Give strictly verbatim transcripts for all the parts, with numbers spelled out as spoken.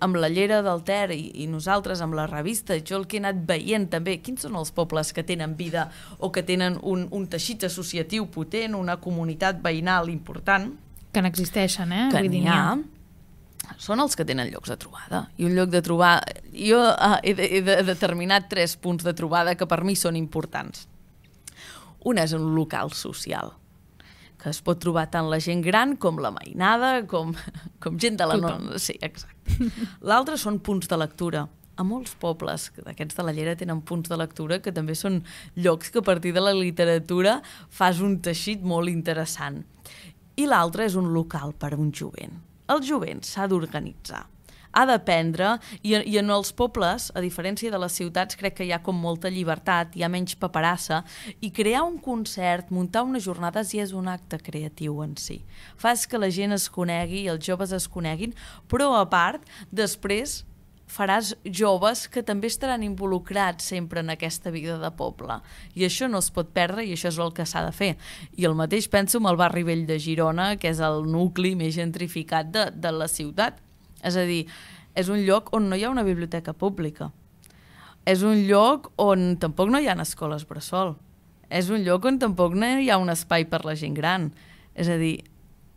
amb la Llera del Ter i, i nosaltres amb la revista, jo el que he anat veient també, quins són els pobles que tenen vida o que tenen un, un teixit associatiu potent, una comunitat veïnal important. Que n'existeixen, eh? Que n'hi ha. Són els que tenen llocs de trobada. I un lloc de trobada... Jo uh, he, de, he de, determinat tres punts de trobada que per mi són importants. Un és un local social, que es pot trobar tant la gent gran com la mainada, com, com gent de la... No... Sí, exacte. L'altre són punts de lectura. A molts pobles d'aquests de la Llera tenen punts de lectura que també són llocs que a partir de la literatura fas un teixit molt interessant. I l'altre és un local per a un jovent. El jovent s'ha d'organitzar. Ha d'aprendre, i, i en els pobles, a diferència de les ciutats, crec que hi ha com molta llibertat, hi ha menys paperassa, i crear un concert, muntar unes jornades ja és un acte creatiu en si. Fas que la gent es conegui, els joves es coneguin, però a part, després faràs joves que també estaran involucrats sempre en aquesta vida de poble. I això no es pot perdre i això és el que s'ha de fer. I el mateix penso amb el barri vell de Girona, que és el nucli més gentrificat de, de la ciutat. És a dir, és un lloc on no hi ha una biblioteca pública. És un lloc on tampoc no hi ha escoles bressol. És un lloc on tampoc no hi ha un espai per la gent gran. És a dir,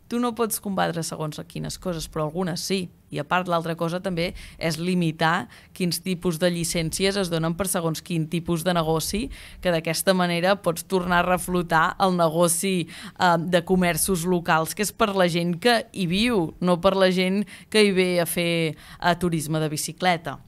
tu no pots combatre segons quines coses, però algunes sí. I a part l'altra cosa també és limitar quins tipus de llicències es donen per segons quin tipus de negoci, que d'aquesta manera pots tornar a reflotar el negoci eh, de comerços locals, que és per la gent que hi viu, no per la gent que hi ve a fer a turisme de bicicleta.